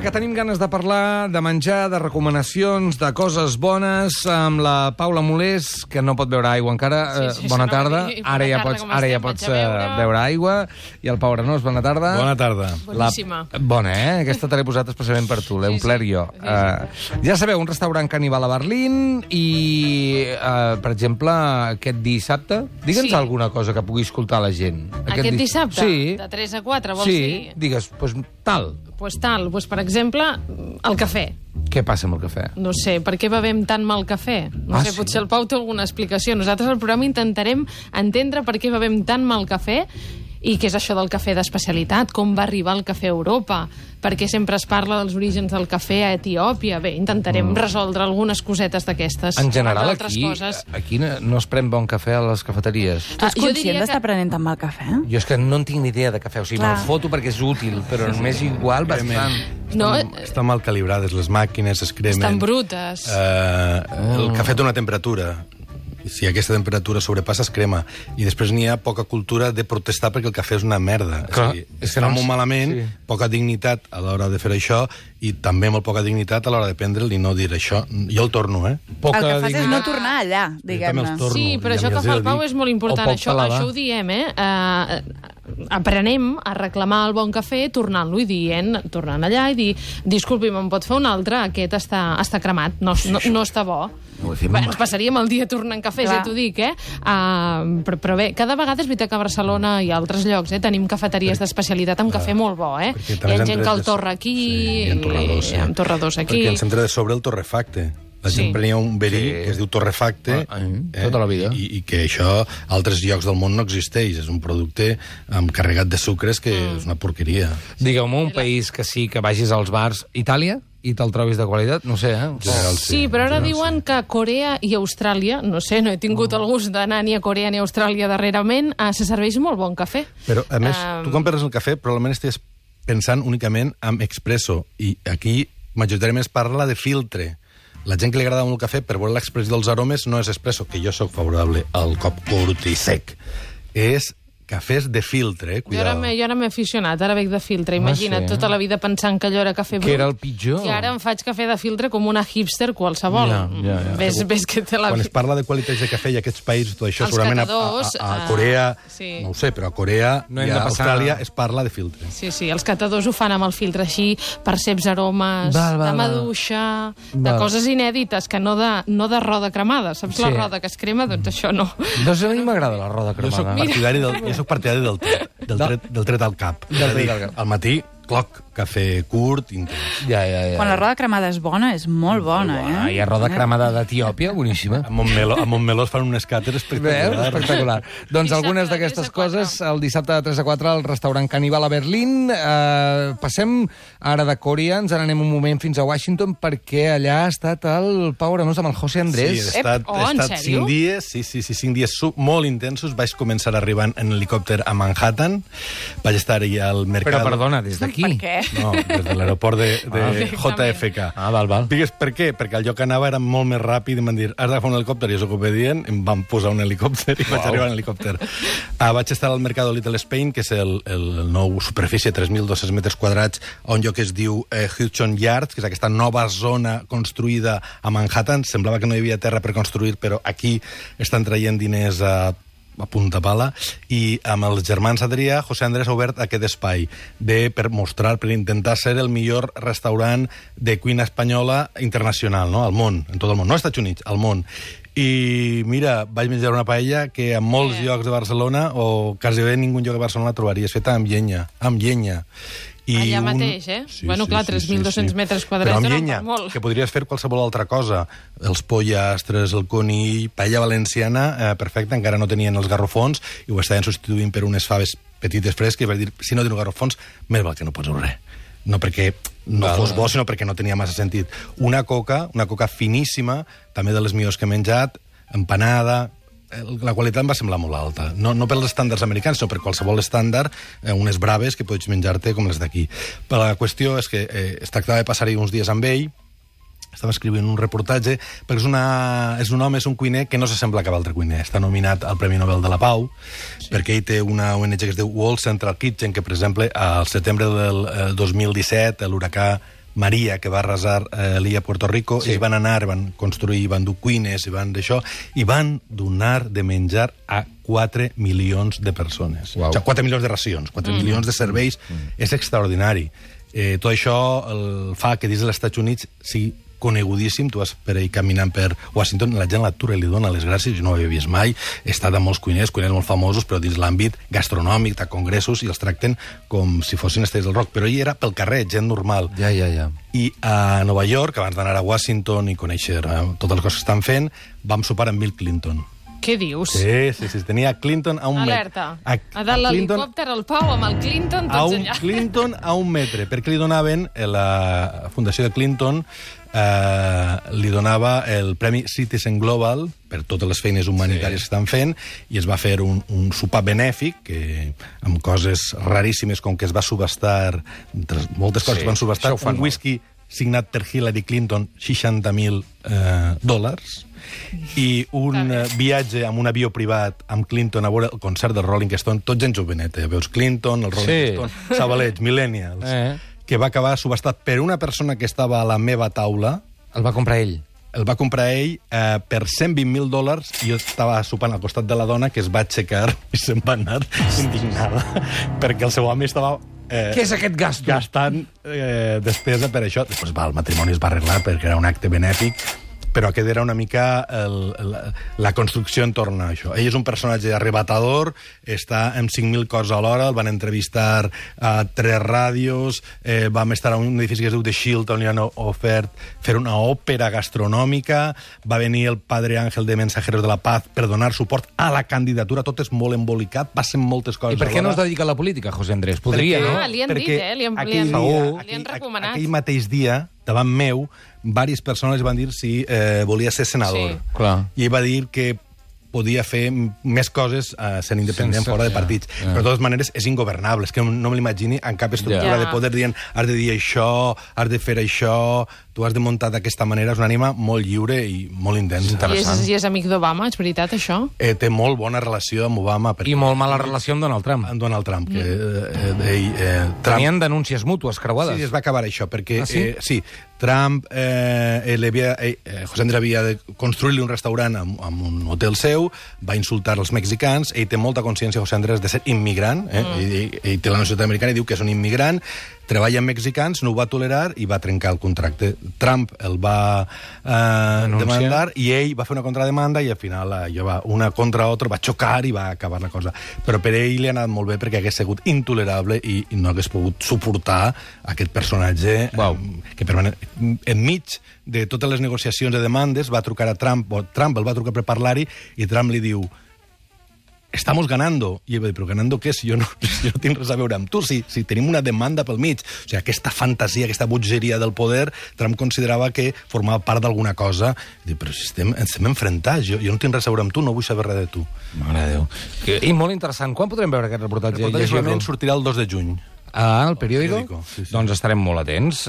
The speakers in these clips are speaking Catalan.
Va, que tenim ganes de parlar de menjar, de recomanacions, de coses bones, amb la Paula Molés, que no pot beure aigua encara. Bona tarda. Ara ja pots beure aigua. I el Pau Arenós, bona tarda. Bona tarda. Boníssima. Bona, Aquesta te l'he posat especialment per tu, l'he omplert jo. Ja sabeu, un restaurant caníbal a Berlín i, per exemple, aquest dissabte, digue'ns alguna cosa que pugui escoltar la gent. Aquest dissabte? Sí. De 3 a 4, vols dir? Sí, digues, doncs tal. Pues tal, pues per exemple, el cafè. Què passa amb el cafè? No sé, per què bevem tan mal cafè? No sé, potser el Pau té alguna explicació. Nosaltres al programa intentarem entendre per què bevem tan mal cafè i què és això del cafè d'especialitat, com va arribar el cafè a Europa, perquè sempre es parla dels orígens del cafè a Etiòpia. Bé, intentarem resoldre algunes cosetes d'aquestes. En general, aquí no es pren bon cafè a les cafeteries. Tu ets conscient d'estar prenent tan mal cafè? Jo és que no en tinc ni idea de cafè, o sigui, me'l foto perquè és útil, però m'és igual bastant. Estan mal calibrades les màquines, es cremen. Estan brutes. El cafè té una temperatura. Si aquesta temperatura sobrepassa, es crema. I després n'hi ha poca cultura de protestar perquè el cafè és una merda. Clar, està molt malament, poca dignitat a l'hora de fer això i també molt poca dignitat a l'hora de prendre'l i no dir això. Jo el torno, El que fas és no tornar allà, diguem-ne. Sí, però això que fa el Pau és molt important. Això ho diem, aprenem a reclamar el bon cafè tornant-lo i tornant allà i dir, disculpi, me'n pot fer un altre? Aquest està cremat, no està bo. Ens passaríem el dia tornant cafès, ja t'ho dic, però bé, cada vegada és veritat que a Barcelona i a altres llocs tenim cafeteries d'especialitat amb cafè molt bo, Hi ha gent que el torra aquí, i amb torradors aquí. Perquè el centre de sobre el torrefacte. La gent prenia un verí que es diu torrefacte tota la vida. I que això a altres llocs del món no existeix. És un producte carregat de sucres que és una porqueria. Digueu-me un país que sí que vagis als bars. Itàlia? I te'l trobis de qualitat? No sé, Sí, però ara diuen que Corea i Austràlia, no sé, no he tingut el gust d'anar ni a Corea ni a Austràlia darrerament, se serveix molt bon cafè. Però, a més, tu quan perdes el cafè probablement estàs pensant únicament en expresso. I aquí majoritàriament es parla de filtre. La gent que li agrada molt el cafè, per veure l'expressió dels aromes, no és expresso, que jo sóc favorable al cop curt i sec. És cafès de filtre, cuidado. Jo ara m'he aficionat, ara bec de filtre. Imagina't, tota la vida pensant que allò era cafè brut. Que era el pitjor. I ara em faig cafè de filtre com una hipster qualsevol. Ves que té la... Quan es parla de qualitats de cafè i aquests països, tot això, segurament a Corea, no ho sé, però a Corea i a Austràlia es parla de filtre. Sí, els catadors ho fan amb el filtre així, perceps aromes de maduixa, de coses inèdites, que no de roda cremada. Saps la roda que es crema? Doncs això no. Doncs a mi m'agrada la roda cremada. Jo soc partidari del tret al cap. És a dir, al matí, cloc, cafè curt, intens. Quan la roda cremada és bona, és molt bona, Hi ha roda cremada d'Etiòpia, boníssima. A Montmeló es fan un escàter espectacular. Doncs algunes d'aquestes coses, el dissabte de 3 a 4 al restaurant Caníbal a Berlín. Passem ara de Corea, ens n'anem un moment fins a Washington, perquè allà ha estat el Pau Arenós amb el José Andrés. Sí, he estat 5 dies, 5 dies molt intensos. Vaig començar arribant en helicòpter a Manhattan. Vaig estar allà al mercat... Però perdona, des d'aquí? Per què? No, des de l'aeroport de JFK. Val. Digues per què? Perquè el lloc que anava era molt més ràpid i em van dir, has d'agafar un helicòpter, i jo soc obedient, em van posar un helicòpter i vaig arribar en helicòpter. Vaig estar al Mercado Little Spain, que és el nou superfície, 3.200 metres quadrats, on lloc es diu Hudson Yards, que és aquesta nova zona construïda a Manhattan. Semblava que no hi havia terra per construir, però aquí estan traient diners a punta pala, i amb els germans Adrià, José Andrés ha obert aquest espai per mostrar, per intentar ser el millor restaurant de cuina espanyola internacional, al món, en tot el món, no als Estats Units, al món. I mira, vaig menjar una paella que en molts llocs de Barcelona, o quasi bé en ningú lloc de Barcelona la trobaries, feta amb llenya. Allà mateix, Bueno, clar, 3.200 metres quadrats però amb no llenya, molt. que podries fer qualsevol altra cosa. Els pollastres, el conill, paella valenciana, perfecte, encara no tenien els garrofons, i ho estaven substituint per unes faves petites fresques, i vaig dir, si no teniu garrofons, més val que no pots res. No perquè no fos bo, sinó perquè no tenia massa sentit. Una coca finíssima, també de les millors que he menjat, empanada... La qualitat em va semblar molt alta. No pels estàndards americans, sinó per qualsevol estàndard, unes braves que pots menjar-te com les d'aquí. Però la qüestió és que es tractava de passar-hi uns dies amb ell, estava escrivint un reportatge, perquè és un home, és un cuiner que no s'assembla a cap altre cuiner. Està nominat al Premi Nobel de la Pau, perquè ell té una ONG que es diu World Central Kitchen, que, per exemple, al setembre del 2017, l'huracà Maria, que va arrasar l'illa Puerto Rico, ells van anar, van construir, van dur cuines, i van donar de menjar a 4 milions de persones. Wow. O sigui, 4 milions de racions, 4 milions de serveis. És extraordinari. Tot això fa que dins dels Estats Units sigui conegudíssim. Tu vas per ahí caminant per Washington, la gent l'atura i li dona les gràcies. Jo no ho havia vist mai. He estat a molts cuiners molt famosos, però dins l'àmbit gastronòmic, de congressos, i els tracten com si fossin estrelles del rock. Però ell era pel carrer, gent normal. Ja. I a Nova York, abans d'anar a Washington i conèixer totes les coses que estan fent, vam sopar amb Bill Clinton. Què dius? Sí. Tenia Clinton a un metre. Alerta. A dalt l'helicòpter, el Pau, amb el Clinton, tots allà. Clinton a un metre, perquè li donaven, la Fundació de Clinton li donava el Premi Citizen Global per totes les feines humanitàries que estan fent, i es va fer un sopar benèfic amb coses raríssimes, com que es va subhastar, moltes coses van subhastar, un whisky signat per Hillary Clinton, $60,000, i un viatge amb un avió privat amb Clinton a veure el concert del Rolling Stone, tot gent joveneta, veus Clinton, el Rolling Stone, xavalets, millennials, que va acabar subhastat per una persona que estava a la meva taula. El va comprar ell? El va comprar ell per $120,000, i jo estava sopant al costat de la dona, que es va aixecar i se'n va anar indignada, perquè el seu home estava... Què és aquest gasto? Gastant despesa per això. Després el matrimoni es va arreglar perquè era un acte benèfic, però aquest era una mica la construcció entorn a això. Ell és un personatge arrebatador, està amb 5.000 coses a l'hora, el van entrevistar a 3 ràdios, vam estar a un edifici que es diu The Shield, on li han ofert fer una òpera gastronòmica, va venir el padre Ángel de Mensajeros de la Paz per donar suport a la candidatura, tot és molt embolicat, passen moltes coses. I per què no es dedica a la política, José Andrés? Podria, no? Li han dit, li han recomanat. Aquell mateix dia, davant meu, diverses persones van dir si volia ser senador. Sí, clar. I ell va dir que podia fer més coses sent independent fora de partits. Però de totes maneres és ingovernable. És que no me l'imagini en cap estructura de poder dient has de dir això, has de fer això, tu has de muntar d'aquesta manera. És una ànima molt lliure i molt intensa. I és amic d'Obama, és veritat, això? Té molt bona relació amb Obama. I molt mala relació amb Donald Trump. Amb Donald Trump. Tenien denúncies mútues creuades. Sí, es va acabar això, perquè sí, Trump, José Andrés havia de construir-li un restaurant amb un hotel seu, va insultar els mexicans, ell té molta consciència, José Andrés, de ser immigrant, ell té la nacionalitat americana i diu que és un immigrant, treballa amb mexicans, no ho va tolerar i va trencar el contracte. Trump el va demandar i ell va fer una contrademanda i al final una contra l'altra va xocar i va acabar la cosa. Però per ell li ha anat molt bé perquè hagués sigut intolerable i no hagués pogut suportar aquest personatge que enmig de totes les negociacions de demandes va trucar a Trump, o Trump el va trucar per parlar-hi, i Trump li diu estamos ganando. I ell va dir, però ganando què? Si jo no tinc res a veure amb tu, si tenim una demanda pel mig. O sigui, aquesta fantasia, aquesta bogeria del poder, Trump considerava que formava part d'alguna cosa. I diu, però si estem enfrontats, jo no tinc res a veure amb tu, no vull saber res de tu. Mare de Déu. I molt interessant. Quan podrem veure aquest reportatge? El reportatge solament sortirà el 2 de juny. El periòdico? Sí. Doncs estarem molt atents.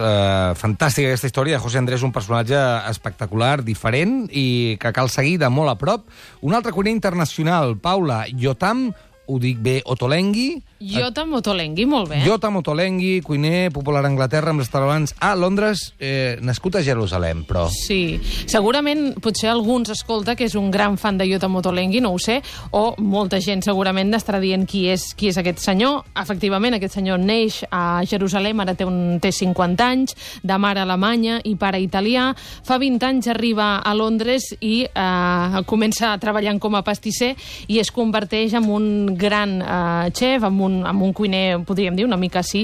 Fantàstica aquesta història. José Andrés, un personatge espectacular, diferent i que cal seguir de molt a prop. Un altre cuiner internacional, Paula, Yotam, ho dic bé, Ottolenghi. Yotam Ottolenghi, molt bé. Yotam Ottolenghi, cuiner popular a Anglaterra, amb restaurants a Londres, nascut a Jerusalem, però... Sí, segurament potser alguns escolta que és un gran fan de Yotam Ottolenghi, no ho sé, o molta gent segurament estarà dient qui és aquest senyor. Efectivament, aquest senyor neix a Jerusalem, ara té 50 anys, de mare alemanya i pare italià. Fa 20 anys arriba a Londres i comença treballant com a pastisser i es converteix en un gran xef, amb un cuiner, podríem dir, una mica així,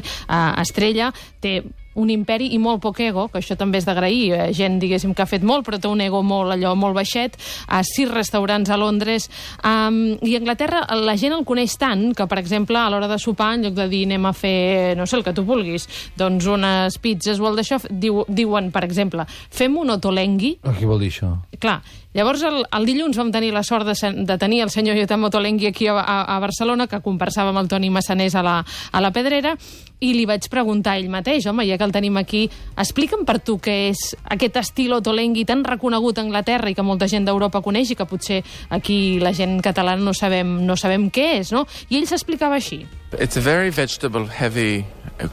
estrella. Té un imperi i molt poc ego, que això també és d'agrair. Gent, diguéssim, que ha fet molt, però té un ego molt baixet. A 6 restaurants a Londres. I a Anglaterra la gent el coneix tant que, per exemple, a l'hora de sopar, en lloc de dir anem a fer, no sé, el que tu vulguis, doncs unes pizzas o el d'això, diuen, per exemple, fem un Ottolenghi. Què vol dir això? Clar, llavors el dilluns vam tenir la sort de tenir el senyor Yotam Ottolenghi aquí a Barcelona, que conversava amb el Toni Massanés a la Pedrera, i li vaig preguntar a ell mateix, home, ja que el tenim aquí. Explica'm per tu què és aquest estil Ottolenghi tan reconegut a Anglaterra i que molta gent d'Europa coneix i que potser aquí la gent catalana no sabem què és, no? I ell s'explicava així. It's a very vegetable-heavy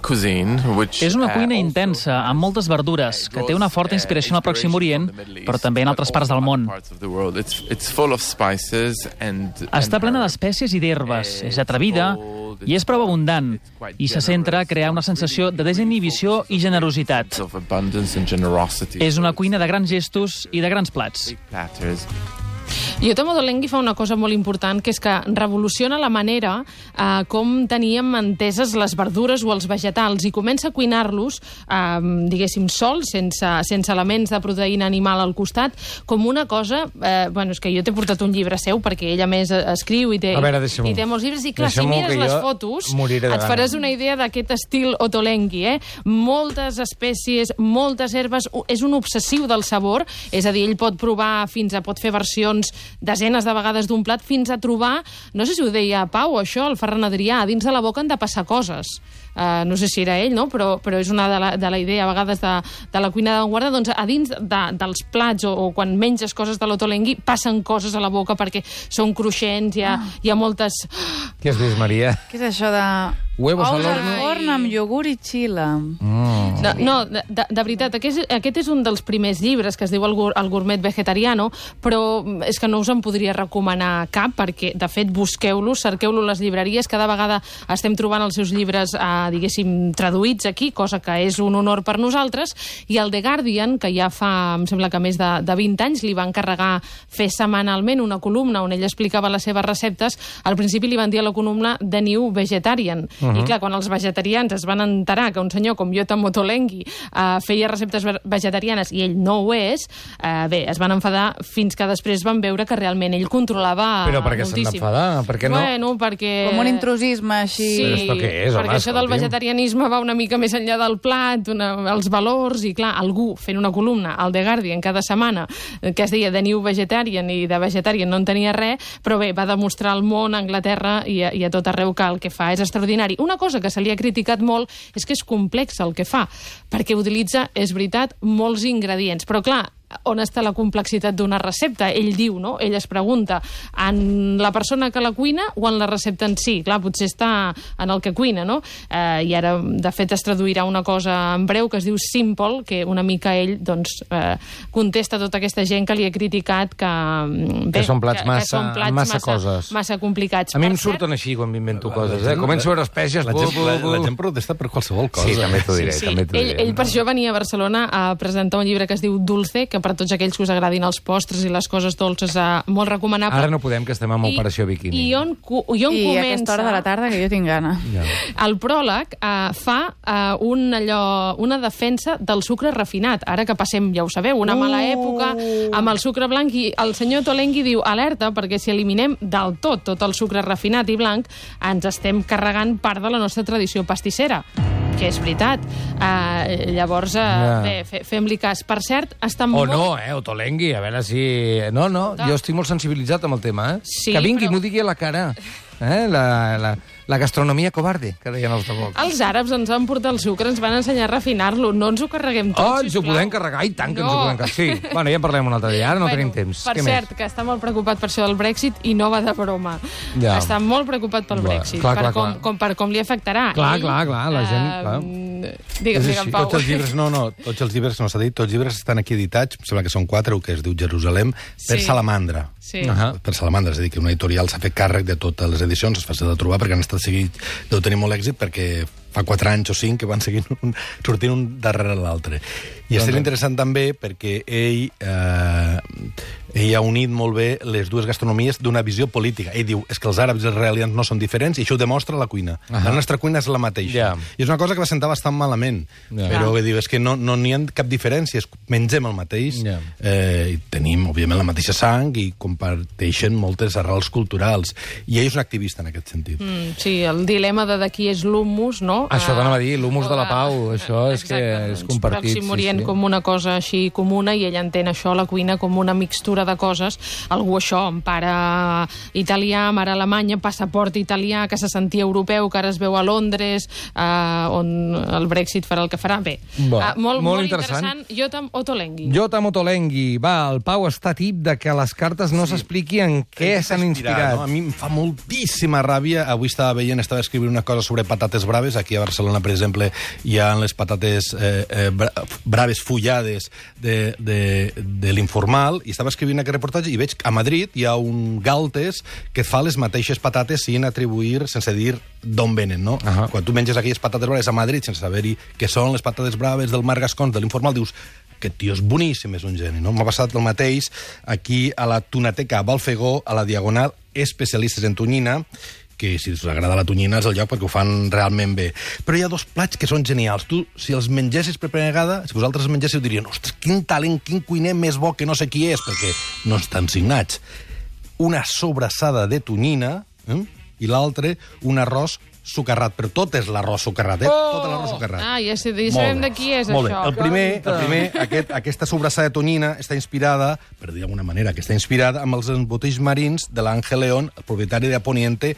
cuisine, which és una cuina intensa, amb moltes verdures, que té una forta inspiració en el Pròxim Orient, però també en altres parts del món. Està plena d'espècies i d'herbes, és atrevida i és prou abundant, i se centra a crear una sensació de desinhibició i generositat. És una cuina de grans gestos i de grans plats. Yotam Ottolenghi fa una cosa molt important, que és que revoluciona la manera com teníem enteses les verdures o els vegetals i comença a cuinar-los, diguéssim, sols, sense elements de proteïna animal al costat, com una cosa... és que jo t'he portat un llibre seu, perquè ell a més escriu i té molts llibres, i clar, si mires les fotos et faràs una idea d'aquest estil Ottolenghi, moltes espècies, moltes herbes, és un obsessiu del sabor, és a dir, ell pot provar pot fer versions desenes de vegades d'un plat fins a trobar, no sé si ho deia Pau, això, el Ferran Adrià, a dins de la boca han de passar coses. No sé si era ell, no? Però és una de la idea, a vegades, de la cuina d'avantguarda, doncs a dins dels plats o quan menges coses de l'Ottolenghi passen coses a la boca perquè són cruixents, hi ha moltes... Què has vist, Maria? Què és això de... Huevos al forn amb iogurt i xila. No, de veritat, aquest és un dels primers llibres que es diu El gourmet vegetariano, però és que no us en podria recomanar cap, perquè, de fet, busqueu-lo, cerqueu-lo a les llibreries, cada vegada estem trobant els seus llibres, diguéssim, traduïts aquí, cosa que és un honor per nosaltres, i el The Guardian, que ja fa, em sembla que més de 20 anys, li va encarregar fer setmanalment una columna on ell explicava les seves receptes. Al principi li van dir a la columna The New Vegetarian, i clar, quan els vegetarians es van enterar que un senyor com Yotam Ottolenghi feia receptes vegetarianes i ell no ho és, es van enfadar fins que després van veure que realment ell controlava moltíssim. Però per què s'han d'enfadar? Per què no? Bueno, perquè... Com un intrusisme així... Sí, però què és, perquè això del vegetarianisme va una mica més enllà del plat, els valors, i clar, algú fent una columna al The Guardian cada setmana que es deia The New Vegetarian i de vegetarian no en tenia res, però bé, va demostrar al món, a Anglaterra i a tot arreu que el que fa és extraordinari. Una cosa que se li ha criticat molt és que és complex el que fa, perquè utilitza, és veritat, molts ingredients. Però clar, on està la complexitat d'una recepta? Ell diu, no? Ell es pregunta, en la persona que la cuina o en la recepta en si? Clar, potser està en el que cuina, no? I ara, de fet, es traduirà una cosa en breu que es diu Simple, que una mica ell, doncs, contesta tota aquesta gent que li ha criticat que són plats massa coses. Massa complicats. A mi em surten així quan m'invento coses, Començo a veure espècies... La gent protesta per qualsevol cosa. Sí, també t'ho diré. Ell per això venia a Barcelona a presentar un llibre que es diu Dulce, que per tots aquells que us agradin els postres i les coses dolces, molt recomanable. Una que estem amb Operació Bikini. I on comença... I a aquesta hora de la tarda, que jo tinc gana. Ja. El pròleg fa una defensa del sucre refinat. Ara que passem, ja ho sabeu, una mala època amb el sucre blanc, i el senyor Ottolenghi diu, alerta, perquè si eliminem del tot el sucre refinat i blanc, ens estem carregant part de la nostra tradició pastissera, que és veritat. Llavors, fem-li cas. Per cert, està molt... Ottolenghi, a veure si... No, jo estic molt sensibilitzat amb el tema, Sí, que vingui, però... m'ho digui a la cara. La gastronomia covarde, que deien els de Vox. Els àrabs ens van portar el sucre, ens van ensenyar a refinar-lo, no ens ho carreguem tot, ens ho podem carregar, i tant que ens ho podem carregar. Sí, bueno, ja en parlem un altre dia, ara no tenim temps. Per cert, que està molt preocupat per això del Brexit i no va de broma. Ja. Està molt preocupat pel Brexit, per com li afectarà. Clar, la gent... Digue'm, Pau. Tots els llibres, no s'ha dit, tots els llibres estan aquí editats, em sembla que són 4, que es diu Jerusalem, per Salamandra. Sí. Per Salamandra, és a dir, que una editorial s'ha fet càrrec de totes les edicions, és fàcil de trobar perquè han estat seguit, deu tenir molt èxit perquè fa 4 anys o 5 que van sortint un darrere l'altre. I és interessant també perquè ell ha unit molt bé les dues gastronomies d'una visió política. Ell diu, és que els àrabs i els israelians no són diferents, i això ho demostra la cuina. La nostra cuina és la mateixa. I és una cosa que va sentar bastant malament, però diu, és que no n'hi ha cap diferència, mengem el mateix, i tenim, òbviament, la mateixa sang i comparteixen moltes arrels culturals. I ell és un activista en aquest sentit. Sí, el dilema de qui és l'hummus, no? Això t'anava a dir, l'humus de la pau, això és que és compartit. Pròxim Orient com una cosa així comuna i ell entén això, la cuina, com una mixtura de coses. Algú això, amb pare italià, mare alemanya, passaport italià, que se sentia europeu, que ara es veu a Londres, on el Brexit farà el que farà. Bé, molt interessant. Yotam Ottolenghi. Yotam Ottolenghi. Va, el Pau està tip de que les cartes no s'expliqui en què s'han inspirat. No? A mi em fa moltíssima ràbia. Avui estava escrivint una cosa sobre patates braves. Aquí a Barcelona, per exemple, hi ha les patates braves fullades de l'Informal, i estava escrivint aquest reportatge i veig que a Madrid hi ha un Galtes que fa les mateixes patates sin atribuir, sense dir d'on venen, no? Quan tu menges aquelles patates braves a Madrid sense saber-hi què són les patates braves del Marc Gascons, de l'Informal, dius, aquest tio és boníssim, és un geni, no? M'ha passat el mateix aquí a la Tunateca Balfegó, a la Diagonal, especialistes en tonyina, que si us agrada la tonyina és el lloc perquè ho fan realment bé. Però hi ha dos plats que són genials. Tu, si els mengessis per primera vegada, si vosaltres els mengessis, dirien, ostres, quin talent, quin cuiner més bo que no sé qui és, perquè no estan signats. Una sobrassada de tonyina, i l'altre, un arròs sucarrat, però tot és l'arròs sucarrat, tot l'arròs sucarrat. Ja sabem de qui és, molt això. Bé. El primer, aquesta sobrassada de tonyina està inspirada, per dir d'alguna manera, que està inspirada amb els embotits marins de l'Ángel León, el propietari de Poniente,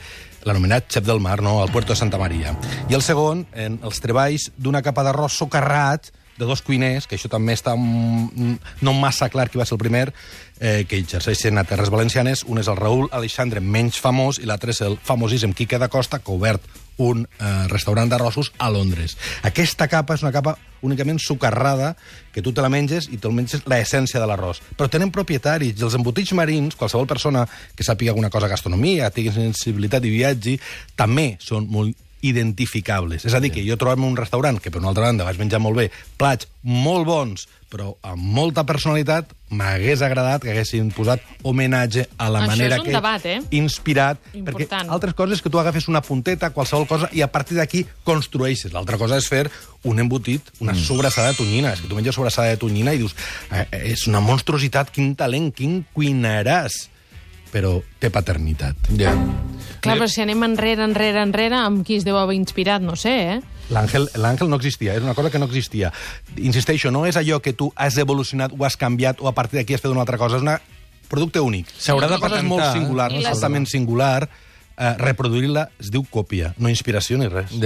l'anomenat xef del mar, no?, al Puerto de Santa Maria. I el segon, en els treballs d'una capa d'arròs sucarrat de dos cuiners, que això també està no massa clar qui va ser el primer, que exerceixen a Terres Valencianes. Un és el Raúl Alexandre, menys famós, i l'altre és el famosíssim Quique da Costa, que ha obert un restaurant d'arrossos a Londres. Aquesta capa és una capa únicament sucarrada, que tu te la menges i te'l menges l'essència de l'arròs. Però tenen propietaris, i els embotits marins, qualsevol persona que sàpiga alguna cosa de gastronomia, tingui sensibilitat i viatge, també són molt identificables. És a dir, que jo trobem un restaurant que, per una altra banda, vaig menjar molt bé, plats molt bons, però amb molta personalitat, m'hagués agradat que haguessin posat homenatge a la manera que he inspirat. Perquè altres coses és que tu agafes una punteta, qualsevol cosa, i a partir d'aquí construeixes. L'altra cosa és fer un embotit, una sobrassada de tonyina. És que tu menges sobrassada de tonyina i dius, és una monstruositat, quin talent, quin cuinaràs. Però té paternitat. Clar, però si anem enrere, amb qui es deu haver inspirat, no sé, L'Àngel no existia, és una cosa que no existia. Insisteixo, no és allò que tu has evolucionat o has canviat o a partir d'aquí has fet una altra cosa, és un producte únic. S'haurà de patentar. És molt singular, no és altament singular. Reproduir-la es diu còpia, no inspiració ni res.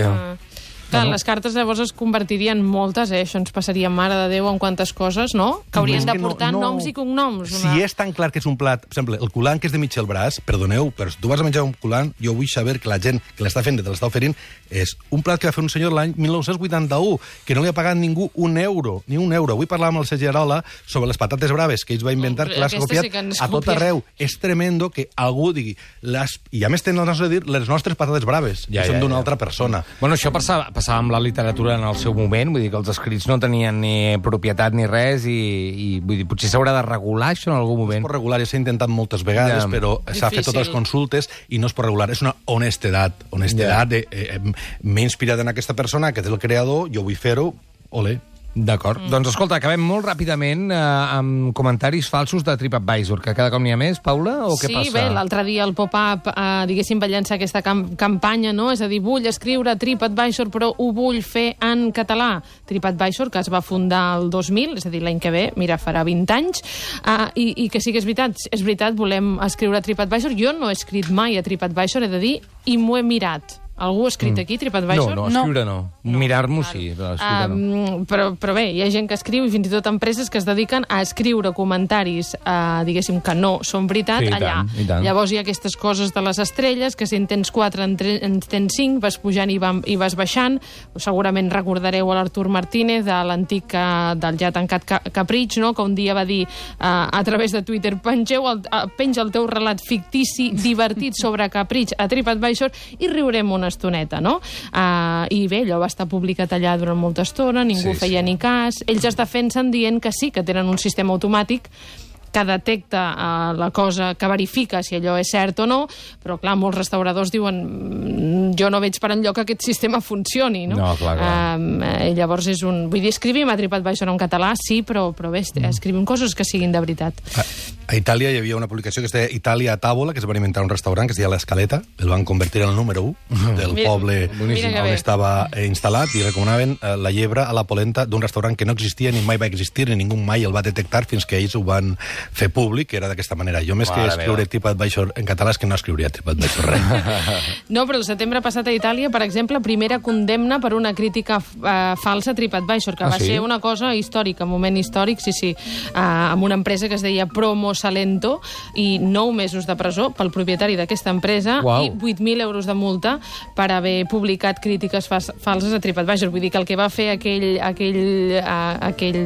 Clar, les cartes llavors es convertirien moltes, això ens passaria, mare de Déu, en quantes coses, no? Que haurien de portar noms i cognoms. Si és tan clar que és un plat, per exemple, el culant que és de Michel Bras, perdoneu, però si tu vas a menjar un culant, jo vull saber que la gent que l'està fent, que te l'està oferint, és un plat que va fer un senyor l'any 1981, que no li ha pagat ningú ni un euro. Avui parlàvem amb el Sergi Arola sobre les patates braves que ells va inventar, que l'has copiat a tot arreu. És tremendo que algú digui, i a més tenen el nostre dir, les nostres patates braves, que són d'una altra persona. Bueno, això passava amb la literatura en el seu moment, vull dir que els escrits no tenien ni propietat ni res, i vull dir, potser s'haurà de regular això en algun moment. Es pot regular, s'ha intentat moltes vegades, però s'ha fet totes les consultes i no es pot regular. És una honestedat de m'he inspirat en aquesta persona, que és el creador, jo vull fer-ho, olé. D'acord. Doncs escolta, acabem molt ràpidament amb comentaris falsos de TripAdvisor, que cada cop n'hi ha més, Paula, o què passa? Sí, bé, l'altre dia el Pop-Up, diguéssim, va llançar aquesta campanya, no? És a dir, vull escriure TripAdvisor, però ho vull fer en català. TripAdvisor, que es va fundar el 2000, és a dir, l'any que ve, mira, farà 20 anys, i que sí que és veritat, volem escriure a TripAdvisor. Jo no he escrit mai a TripAdvisor, he de dir, i m'ho he mirat. Algú ha escrit aquí, TripAdvisor? No, escriure no. Mirar-m'ho sí, però escriure no. Però bé, hi ha gent que escriu, i fins i tot empreses que es dediquen a escriure comentaris, diguéssim, que no són veritat, allà. Llavors hi ha aquestes coses de les estrelles, que si en tens 4, en tens 5, vas pujant i vas baixant. Segurament recordareu a l'Artur Martínez, de l'antic, del ja tancat Capritx, no? Que un dia va dir a través de Twitter, penja el teu relat fictici divertit sobre Capritx a TripAdvisor i riurem una estoneta, no? I bé, allò va estar publicat allà durant molta estona, ningú feia ni cas. Ells es defensen dient que sí, que tenen un sistema automàtic que detecta la cosa, que verifica si allò és cert o no, però clar, molts restauradors diuen jo no veig per enlloc que aquest sistema funcioni, no? No, clar. Llavors és un... Vull dir, escrivim a TripAdvisor en català, sí, però bé, escrivim coses que siguin de veritat. A Itàlia hi havia una publicació que es deia Itàlia a Tàvola, que es va inventar un restaurant que es deia l'Escaleta, el van convertir en el número 1 del poble on estava instal·lat, i recomanaven la llebre a la polenta d'un restaurant que no existia ni mai va existir, ni ningú mai el va detectar fins que ells ho van fer públic, que era d'aquesta manera. Jo més que escriure TripAdvisor en català és que no escriuria TripAdvisor res. No, però el setembre passat a Itàlia, per exemple, primera condemna per una crítica falsa a TripAdvisor, que va ser una cosa històrica, un moment històric, sí, amb una empresa que es deia Promo Salento, i 9 mesos de presó pel propietari d'aquesta empresa i 8.000 euros de multa per haver publicat crítiques falses a TripAdvisor. Vull dir que el que va fer aquell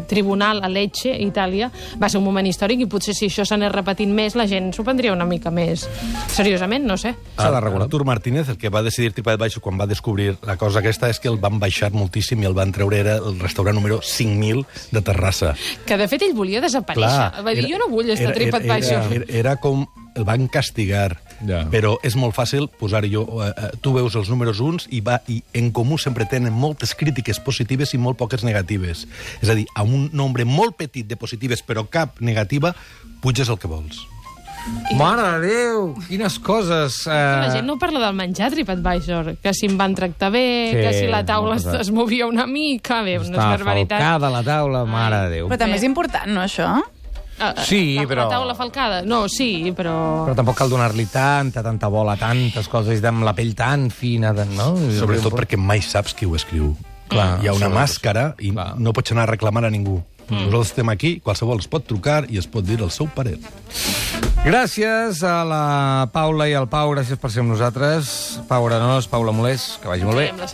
tribunal a Lecce, Itàlia, va ser un moment històric, i potser si això s'anés repetint més, la gent s'ho prendria una mica més seriosament, no sé. Artur Martínez, el que va decidir TripAdvisor quan va descobrir la cosa aquesta, és que el van baixar moltíssim i el van treure, era el restaurant número 5.000 de Terrassa. Que de fet ell volia desaparèixer. Va dir, jo no vull estar a TripAdvisor. Era com el van castigar, però és molt fàcil posar-hi. Tu veus els números 1 i en comú sempre tenen moltes crítiques positives i molt poques negatives. És a dir, amb un nombre molt petit de positives però cap negativa, puges el que vols. Mare de Déu, quines coses! La gent no parla del menjar a TripAdvisor, que si em van tractar bé, que si la taula es movia una mica, bé, unes barbaritats. Està falcada la taula, mare de Déu. Però també és important, no, això? Sí, però... La taula falcada? No, sí, però... Però tampoc cal donar-li tanta bola, tantes coses, amb la pell tan fina, no? Sobretot perquè mai saps qui ho escriu. Hi ha una màscara i no pots anar a reclamar a ningú. Nosaltres estem aquí, qualsevol es pot trucar i es pot dir el seu parer. Gràcies a la Paula i al Pau, gràcies per ser amb nosaltres. Pau Arenós, Paula Molés, que vagi molt bé.